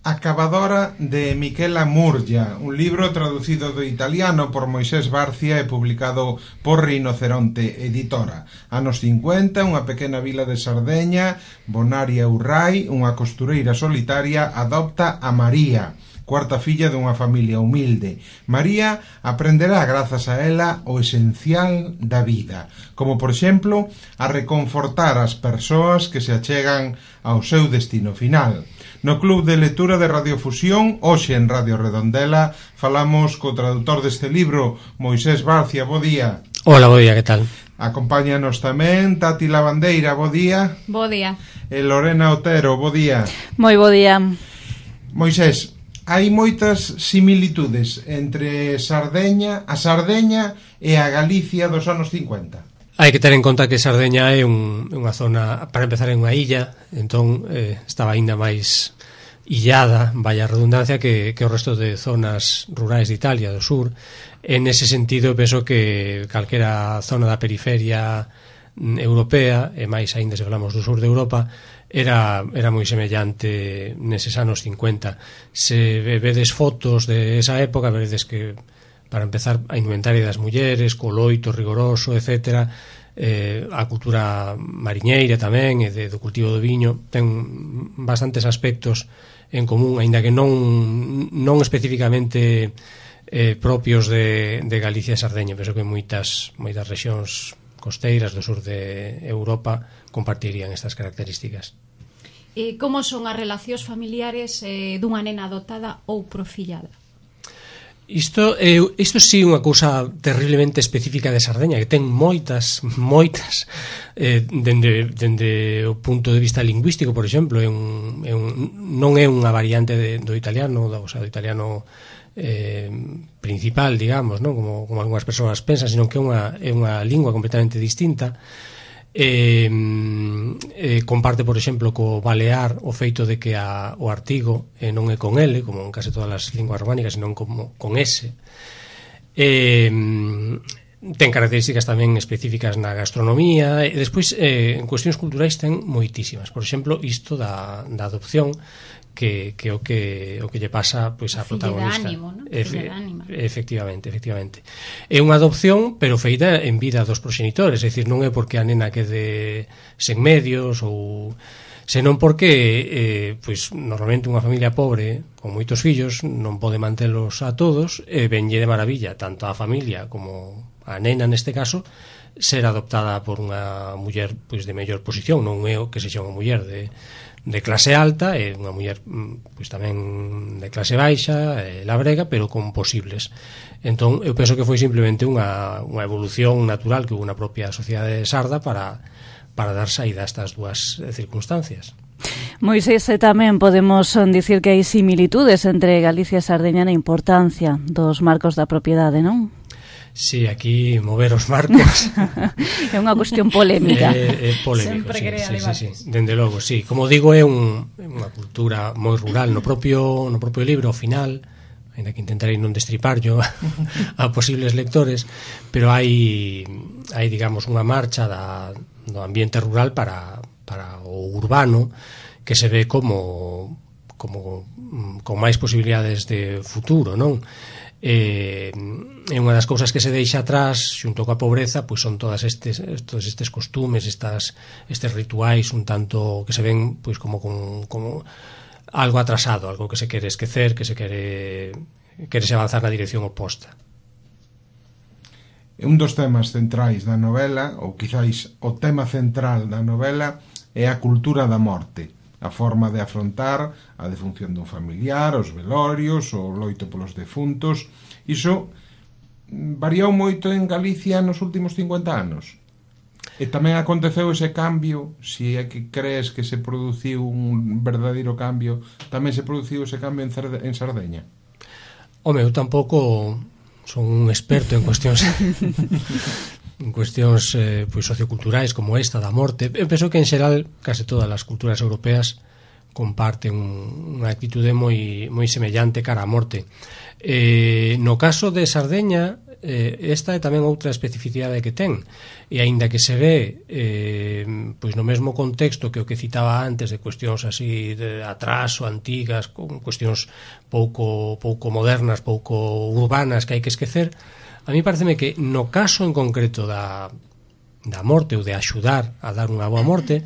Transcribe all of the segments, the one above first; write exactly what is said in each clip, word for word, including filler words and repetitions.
Acabadora de Michela Murgia, un libro traducido do italiano por Moisés Barcia e publicado por Rinoceronte Editora. Anos cincuenta, unha pequena vila de Sardeña, Bonaria Urrai, unha costureira solitaria, adopta a María, cuarta filla dunha familia humilde. María aprenderá, grazas a ela, o esencial da vida, como, por exemplo, a reconfortar as persoas que se achegan ao seu destino final. No Club de Lectura de Radiofusión, hoxe en Radio Redondela, falamos co traductor deste libro, Moisés Barcia. Bo día. Hola, bo día, que tal? Acompáñanos tamén Tati Lavandeira. Bo día. Bo día. E Lorena Otero. Bo día. Moi bo día. Moisés, hai moitas similitudes entre Sardeña, a Sardeña e a Galicia dos anos cincuenta. Hai que ter en conta que Sardeña é un, unha zona, para empezar, é unha illa, entón eh, estaba aínda máis illada, vaya redundancia, que, que o resto de zonas rurais de Italia, do sur. En ese sentido, penso que calquera zona da periferia europea, e máis aínda se falamos do sur de Europa, era, era moi semellante neses anos cincuenta. Se vedes fotos de esa época, veredes que, para empezar, a indumentaria das mulleres, co loito rigoroso, etcétera, eh, a cultura mariñeira tamén, e de, do cultivo do viño, ten bastantes aspectos en común, aínda que non non especificamente eh, propios de, de Galicia e Sardeña. Penso que moitas, moitas rexións costeiras do sur de Europa compartirían estas características. E como son as relacións familiares eh, dunha nena adotada ou profillada? Isto é isto sí unha cousa terriblemente específica de Sardeña, que ten moitas, moitas eh, dende, dende o punto de vista lingüístico, por exemplo, é un, é un, non é unha variante de, do italiano, o sea, do italiano eh, principal, digamos, non? Como, como algunhas persoas pensan, sino que é unha, é unha lingua completamente distinta. Eh, eh, comparte, por exemplo, co balear o feito de que a, o artigo eh, non é con L, como en case todas as linguas románicas, senón como con S. Eh, ten características tamén específicas na gastronomía, e despois eh, en cuestións culturais ten moitísimas. Por exemplo, isto da, da adopción, que, que o que o que lle pasa, pois, a protagonista. Ánimo, ¿no? Efe, efectivamente, efectivamente. É unha adopción, pero feita en vida dos proxenitores, é dicir, non é porque a nena quede sen medios ou senón porque eh, pois normalmente unha familia pobre con moitos fillos non pode mantelos a todos, e venlle de maravilla tanto a familia como a nena neste caso ser adoptada por unha muller pois de mellor posición, non é o que sexa unha muller de de clase alta, e unha muller pois tamén de clase baixa, e labrega, pero con posibles. Entón, eu penso que foi simplemente unha, unha evolución natural que houve na propia sociedade sarda para, para dar saída a estas dúas circunstancias. Moisés, tamén podemos dicir que hai similitudes entre Galicia e Sardeña na importancia dos marcos da propiedade, non? Sí, aquí mover os marcos é unha cuestión polémica. É, é polémico, sempre sí, crea sí, debates. sí, sí. Dende logo, sí. Como digo, é un, unha cultura moi rural. No propio, no propio libro, ao final, ainda que intentarei non destripar yo a posibles lectores, pero hai, hai digamos, unha marcha da, do ambiente rural para, para o urbano, que se ve como, como con máis posibilidades de futuro, non? Eh, é unha das cousas que se deixa atrás xunto coa pobreza, pois son todas estes todos estes costumes, estas estes rituais un tanto que se ven pois como como, como algo atrasado, algo que se quere esquecer, que se quere querese avanzar na dirección oposta. Un dos temas centrais da novela, ou quizáis o tema central da novela, é a cultura da morte, a forma de afrontar a defunción dun familiar, os velorios, o loito polos defuntos. Iso variou moito en Galicia nos últimos cincuenta anos. E tamén aconteceu ese cambio, se é que crees que se produciu un verdadeiro cambio, tamén se produciu ese cambio en, Cerde- en Sardeña? Home, eu tampouco son un experto en cuestións en cuestións eh, pois socioculturais como esta da morte. Eu penso que en xeral case todas as culturas europeas comparten unha actitude moi moi semellante cara á morte. Eh, no caso de Sardeña, eh, esta é tamén outra especificidade que ten, e aínda que se ve eh, pois no mesmo contexto que o que citaba antes de cuestións así de atraso, antigas, con cuestións pouco pouco modernas, pouco urbanas que hai que esquecer, a mí pareceme que no caso en concreto da, da morte ou de axudar a dar unha boa morte,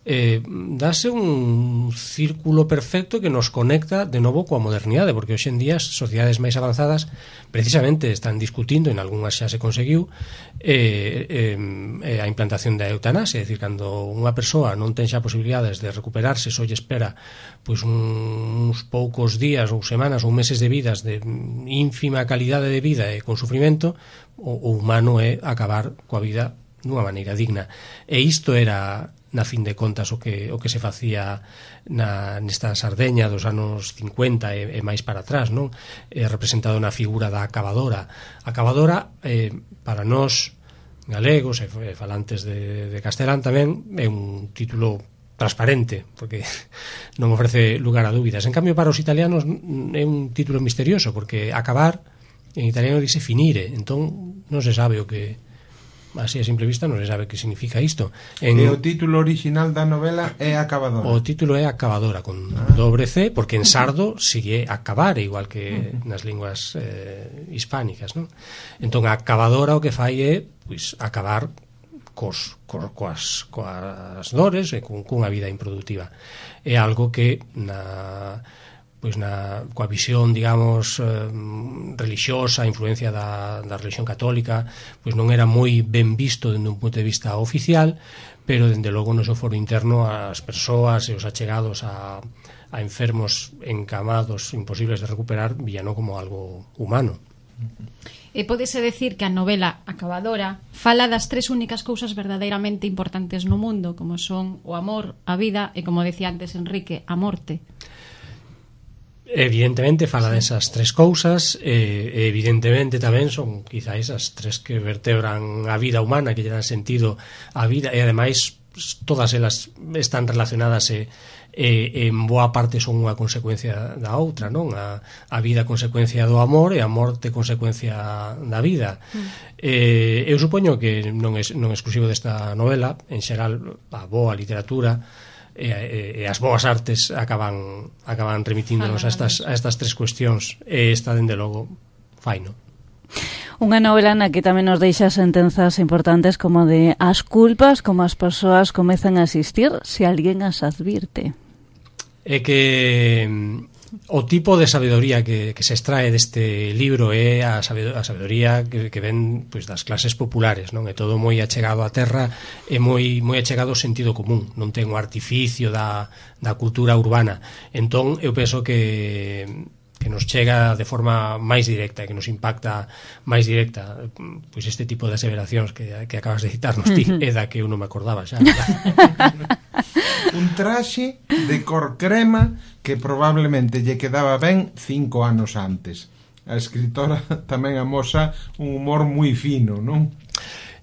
eh, dase un círculo perfecto que nos conecta de novo coa modernidade, porque hoxe en día as sociedades máis avanzadas precisamente están discutindo, en algunhas xa se conseguiu, eh, eh, a implantación da eutanasia, é dicir, cando unha persoa non ten xa posibilidades de recuperarse, só lle espera pois uns poucos días ou semanas ou meses de vidas de ínfima calidade de vida e con sufrimento, o, o humano é acabar coa vida dunha maneira digna. E isto era, na fin de contas, o que o que se facía na nesta Sardeña dos anos cincuenta e, e máis para atrás, non? É representado na figura da acabadora. A acabadora, eh, para nós galegos e falantes de, de castelán tamén, é un título transparente, porque non ofrece lugar a dúbidas. En cambio, para os italianos é un título misterioso, porque acabar en italiano dice finire, entón non se sabe o que, así a simple vista non se sabe que significa isto. En, e o título original da novela é Acabadora. O título é Acabadora con ah. dobre C, porque en sardo sigue acabar, igual que uh-huh. nas linguas eh, hispánicas, non? Entón a Acabadora o que fai é pois acabar cos, cos, coas, coas dores e con, cunha vida improductiva. É algo que na pois na coa visión, digamos, eh, relixiosa, a influencia da, da religión católica, pois non era moi ben visto dende un punto de vista oficial, pero dende logo no seu foro interno as persoas e os achegados a, a enfermos encamados imposibles de recuperar víano como algo humano. E pódese decir que a novela Acabadora fala das tres únicas cousas verdadeiramente importantes no mundo, como son o amor, a vida e, como decía antes Enrique, a morte. Evidentemente fala desas tres cousas, e evidentemente tamén son quizáis as tres que vertebran a vida humana, que lle dan sentido á vida, e ademais todas elas están relacionadas e, e en boa parte son unha consecuencia da outra, non? A, a vida consecuencia do amor e a morte consecuencia da vida. Mm. Eh, eu supoño que non é non é exclusivo desta novela, en xeral a boa literatura e, e, e as boas artes acaban acaban remitíndonos a estas, a estas tres cuestións, e esta, dende logo, faino. Unha novela na que tamén nos deixa sentenzas importantes como de as culpas, como as persoas comezan a existir se alguén as advirte. É que o tipo de sabedoría que, que se extrae deste libro é a sabedoría que, que ven pois, das clases populares, non? É todo moi achegado á terra, é moi moi achegado ao sentido común, non ten o artificio da, da cultura urbana. Entón, eu penso que que nos chega de forma máis directa, que nos impacta máis directa, pois este tipo de aseveracións que, que acabas de citarnos ti, é da que eu non me acordaba xa. Un traxe de cor crema que probablemente lle quedaba ben cinco anos antes. A escritora tamén amosa un humor moi fino, non?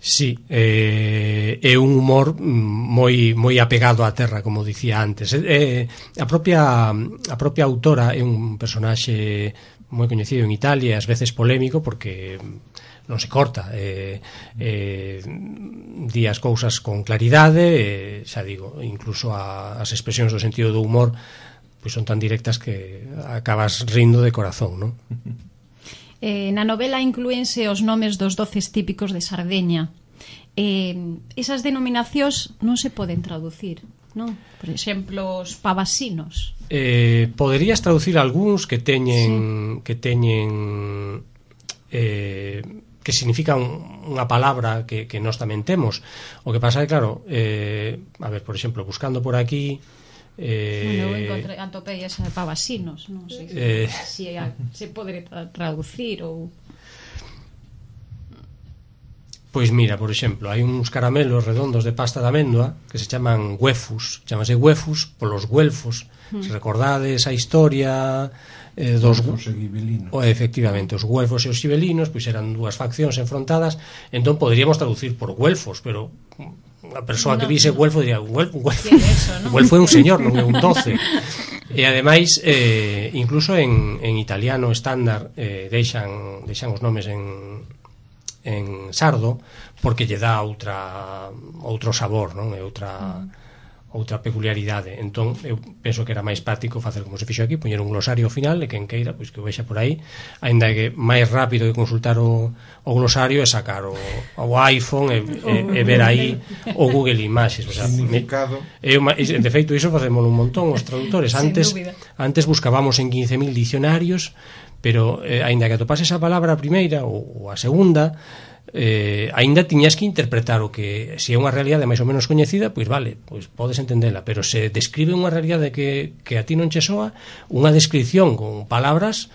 Sí, eh, é un humor moi moi apegado á terra, como dicía antes. Eh, a propia a propia autora é un personaxe moi coñecido en Italia, ás veces polémico porque non se corta, eh, eh, di as cousas con claridade, eh, xa digo, incluso a, as expresións do sentido do humor pois son tan directas que acabas rindo de corazón, non? Eh, na novela inclúense os nomes dos doces típicos de Sardeña. Eh, esas denominacións non se poden traducir, non? Por exemplo, os pavasinos. Eh, poderías traducir algúns que teñen sí. que teñen eh, que significan unha palabra que, que nós tamén temos. O que pasa é, claro, eh, a ver, por exemplo, buscando por aquí, Eh, bueno, eu encontrei, atopei esa de pavasinos, non sei se, eh, se, se pode traducir ou... Pois mira, por exemplo, hai uns caramelos redondos de pasta de amêndoa que se chaman huefus, chamase huefus polos güelfos. Mm. Se recordades a historia eh, dos güelfos e gibelinos. O, efectivamente, os güelfos e os gibelinos pois eran dúas faccións enfrontadas, entón poderíamos traducir por güelfos, pero a persoa no, que vise no. Güelfo diría Güelfo, Güelfo. Eso, ¿no? Güelfo é un señor, non é un doce. E ademais eh, incluso en, en italiano estándar eh, deixan, deixan os nomes en, en sardo porque lle dá outra outro sabor, non? É outra outra peculiaridade. Entón, eu penso que era máis práctico facer como se fixo aquí, poñer un glosario ao final e quen queira, pois que o vexa por aí, aínda que máis rápido que consultar o, o glosario é sacar o, o iPhone e, e, e ver aí o Google Images, o sea, significado. Me, eu, de feito, iso facemos un montón os traductores. Antes antes buscábamos en quince mil dicionarios, pero eh, aínda que atopase esa palabra a primeira ou, ou a segunda, eh, aínda tiñas que interpretar o que, se é unha realidade máis ou menos coñecida, pois vale, pois podes entendela, pero se describe unha realidade que, que a ti non che soa, unha descripción con palabras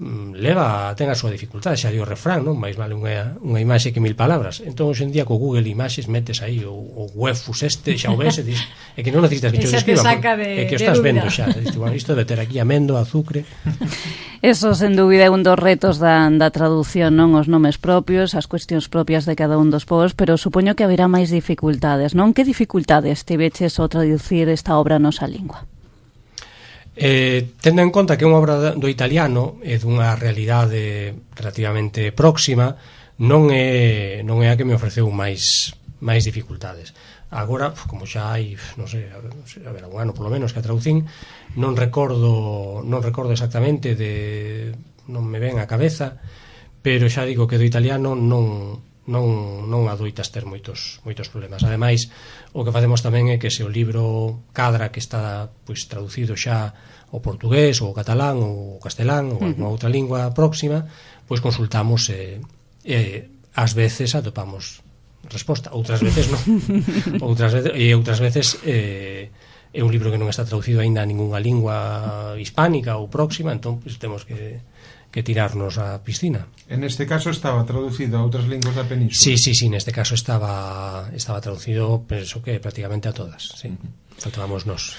leva, ten a súa dificultade, xa di o refrán, non? Mais vale unha, unha imaxe que mil palabras. Entón, hoxe en día, co Google Images metes aí o, o Webfus este, xa o ves, e dis, é que non necesitas que te describan, é que o estás vendo xa, dis, bueno, isto debe ter aquí amendo, azúcar. Eso, sen dúbida, é un dos retos da, da traducción, non? Os nomes propios, as cuestións propias de cada un dos povos, pero supoño que haberá máis dificultades, non? Que dificultades tiveches ao traducir esta obra nosa lingua? Eh, tendo en conta que é unha obra do italiano e dunha realidade relativamente próxima, non é, non é a que me ofreceu máis, máis dificultades. Agora, como xa hai, non sei, a ver, un ano polo menos que a traducín, non recordo non recordo exactamente, de non me ven a cabeza, pero xa digo que do italiano non non non adoitas ter moitos moitos problemas. Ademais, o que facemos tamén é que se o libro cadra que está pois traducido xa ao portugués ou ao catalán ou ao castelán ou alguna outra lingua próxima, pois consultamos e, e ás veces atopamos resposta, outras veces non. outras veces, e outras veces eh, é un libro que non está traducido aínda a ningunha lingua hispánica ou próxima, entón pois temos que que tirarnos á piscina. En este caso estaba traducido a outras linguas da península. Sí, sí, sí, neste caso estaba estaba traducido, penso que prácticamente a todas, sí. Faltábamos nós.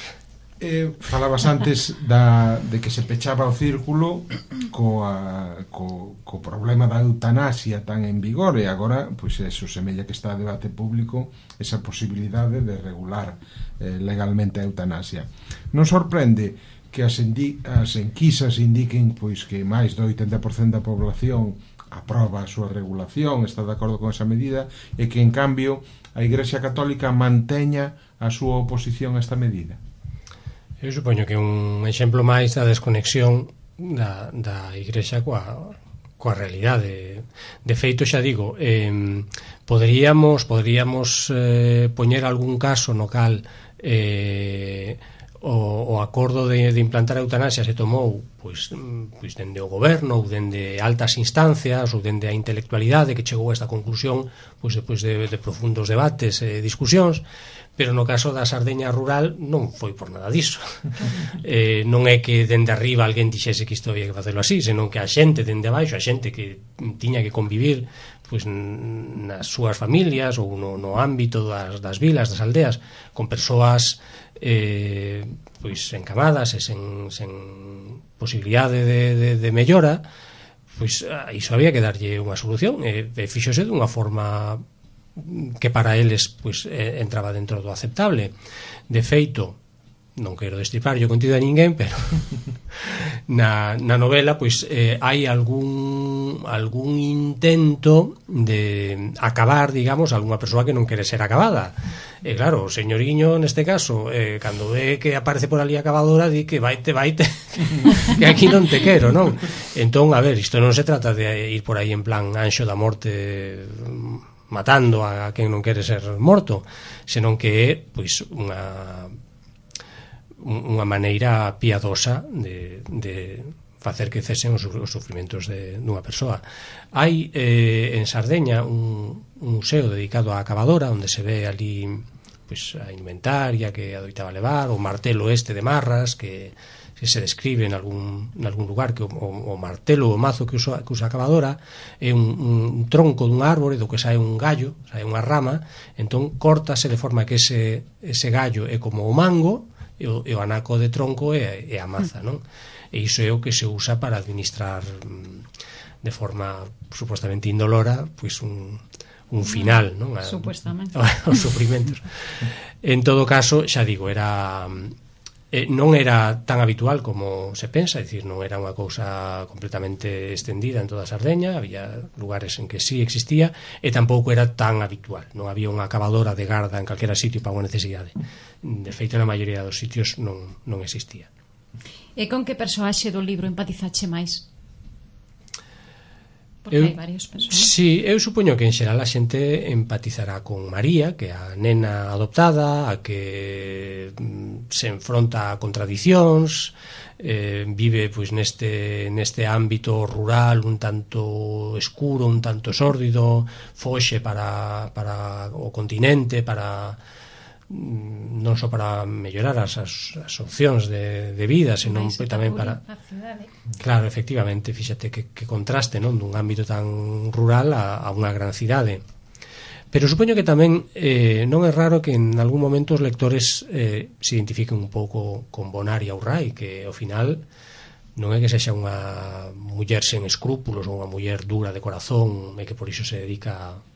Eh, falabas antes da, de que se pechaba o círculo coa, co, co problema da eutanasia tan en vigor, e agora, pois eso semella que está a debate público esa posibilidade de regular eh, legalmente a eutanasia. Non sorprende que as, as enquisas indiquen pois que máis do oitenta por cento da población aproba a súa regulación, está de acordo con esa medida, e que en cambio a Igrexa Católica manteña a súa oposición a esta medida. Eu supoño que un exemplo máis da desconexión da, da Igrexa coa, coa realidade. De feito, xa digo, eh, poderíamos poderíamos eh, poñer algún caso no cal eh, o, o acordo de, de implantar a eutanasia se tomou pois, pois dende o goberno ou dende altas instancias ou dende a intelectualidade que chegou a esta conclusión pois depois de, de profundos debates e discusións, pero no caso da Sardeña rural non foi por nada diso. eh, non é que dende arriba alguén dixese que isto había que facelo así, senón que a xente dende abaixo, a xente que tiña que convivir pois nas súas familias ou no, no ámbito das, das vilas, das aldeas, con persoas eh, pois encamadas e sen, sen posibilidade de, de, de mellora, pois a iso había que darlle unha solución, e, e fíxose dunha forma que para eles pois eh, entraba dentro do aceptable. De feito, non quero destripar yo contido a ninguén, pero na, na novela pois eh, hai algún algún intento de acabar, digamos, algunha persoa que non quere ser acabada. E claro, o señoriño neste caso, eh, cando ve que aparece por ali acabadora, di que vaite, vaite, que aquí non te quero, non? Entón, a ver, isto non se trata de ir por aí en plan anxo da morte matando a quen non quere ser morto, senón que é pois unha unha maneira piadosa de, de facer que cesen os, os sufrimentos de, dunha persoa. Hai eh, en Sardeña un, un museo dedicado á acabadora, onde se ve ali pois, a inventaria que adoitaba levar, o martelo este de marras que, que se describe en algún, en algún lugar, que o, o, o martelo o mazo que usa, que usa a acabadora é un, un tronco dun árbore do que sae un gallo, sae unha rama, entón cortase de forma que ese, ese gallo é como o mango e o, e o anaco de tronco é, é a maza, non? E iso é o que se usa para administrar de forma supostamente indolora pois un, un final, non? Supuestamente. Os sufrimentos. En todo caso, xa digo, era eh, non era tan habitual como se pensa, é dicir, non era unha cousa completamente extendida en toda Sardeña, había lugares en que sí existía, e tampouco era tan habitual, non había unha cavadora de garda en calquera sitio para unha necesidade. De feito, na maioría dos sitios non, non existía. E con que persoaxe do libro empatizache máis? Porque Eu, hai varios persoas. Sí, eu supoño que en xeral a xente empatizará con María, que é a nena adoptada, a que mm, se enfronta a contradicións, eh, vive pois neste neste ámbito rural un tanto escuro, un tanto sórdido, foxe para, para o continente, para non só para mellorar as, as, as opcións de, de vida, senón tamén para... Claro, efectivamente, fíxate que, que contraste, non, dun ámbito tan rural a, a unha gran cidade. Pero supoño que tamén eh, non é raro que en algún momento os lectores eh, se identifiquen un pouco con Bonaria Urrai, que ao final non é que sexa unha muller sen escrúpulos ou unha muller dura de corazón e que por iso se dedica a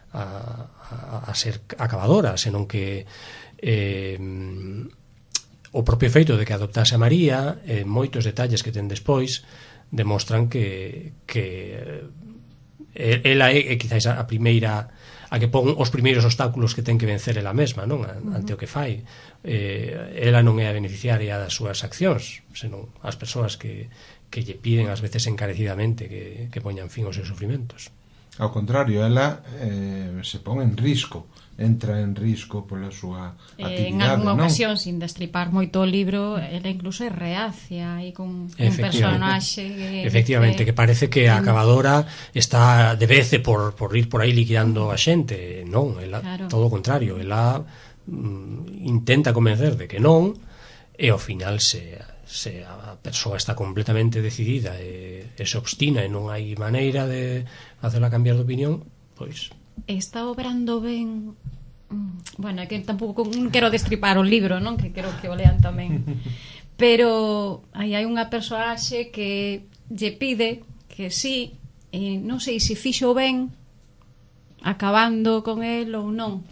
A, a, a ser acabadora, senón que eh, o propio feito de que adoptase a María, eh, moitos detalles que ten despois demostran que, que eh, ela é, é quizáis a primeira a que pon os primeiros obstáculos que ten que vencer ela mesma, non? Ante o que fai. Eh, ela non é a beneficiaria das súas accións, senón as persoas que, que lle piden ás veces encarecidamente que, que poñan fin aos seus sufrimentos. Ao contrario, ela eh, se pon en risco, entra en risco pola súa actividade, en algunha non? ocasión, sin destripar moito o libro, ela incluso é reacia e con un personaxe que efectivamente, dice, que parece que a acabadora está de vece por, por ir por aí liquidando a xente. Non, ela, claro. Todo o contrario, ela mm, intenta convencer de que non, e ao final se... se a persoa está completamente decidida e, e se obstina e non hai maneira de hacerla cambiar de opinión, pois está obrando ben. Bueno, é que tampouco non quero destripar o libro, non? Que quero que o lean tamén. Pero aí hai unha persoaxe que lle pide que sí, e non sei se fixo ben acabando con el ou non,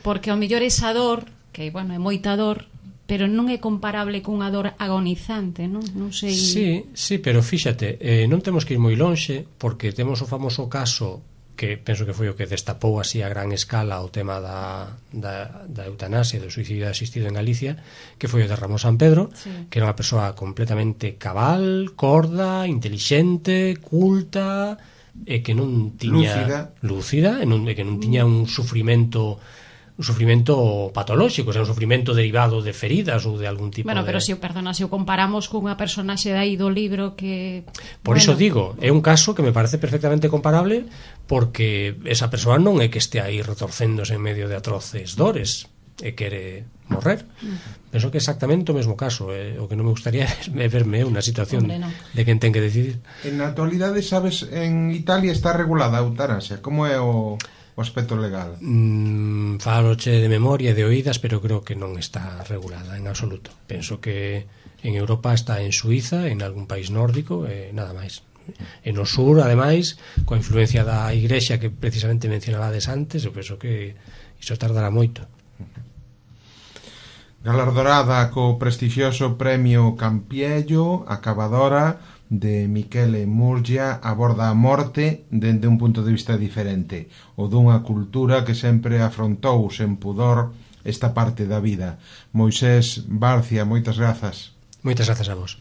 porque ao mellor esa dor, que bueno, é moita dor, pero non é comparable cunha dor agonizante, non? Non sei... Sí, sí, pero fíxate, eh, non temos que ir moi lonxe, porque temos o famoso caso que penso que foi o que destapou así a gran escala o tema da, da, da eutanasia, do suicidio asistido en Galicia, que foi o de Ramón San Pedro, sí. Que era unha persoa completamente cabal, corda, intelixente, culta, e que non tiña... Lúcida. Lúcida, e, non, e que non tiña un sufrimento... un sufrimento patolóxico, o sea, un sufrimento derivado de feridas ou de algún tipo bueno, de... pero se, perdona, se o comparamos cunha personaxe de aí do libro que... Por bueno... iso digo, é un caso que me parece perfectamente comparable porque esa persoa non é que este aí retorcéndose en medio de atroces dores e quere morrer. Mm. Penso que é exactamente o mesmo caso, eh? O que non me gustaría é verme unha situación Hombre, no. de quen ten que decidir. En na actualidade, sabes, en Italia está regulada a eutanasia. Como é o... o aspecto legal? Mm, faloche de memoria e de oídas, pero creo que non está regulada en absoluto. Penso que en Europa está en Suiza, en algún país nórdico e nada máis. En o sur, ademais, coa influencia da igrexa que precisamente mencionabades antes, eu penso que iso tardará moito. Galardonada co prestixioso premio Campiello, acabadora de Michele Murgia, aborda a morte dende un punto de vista diferente, o dunha cultura que sempre afrontou sen pudor esta parte da vida. Moisés Barcia, moitas grazas. Moitas grazas a vos.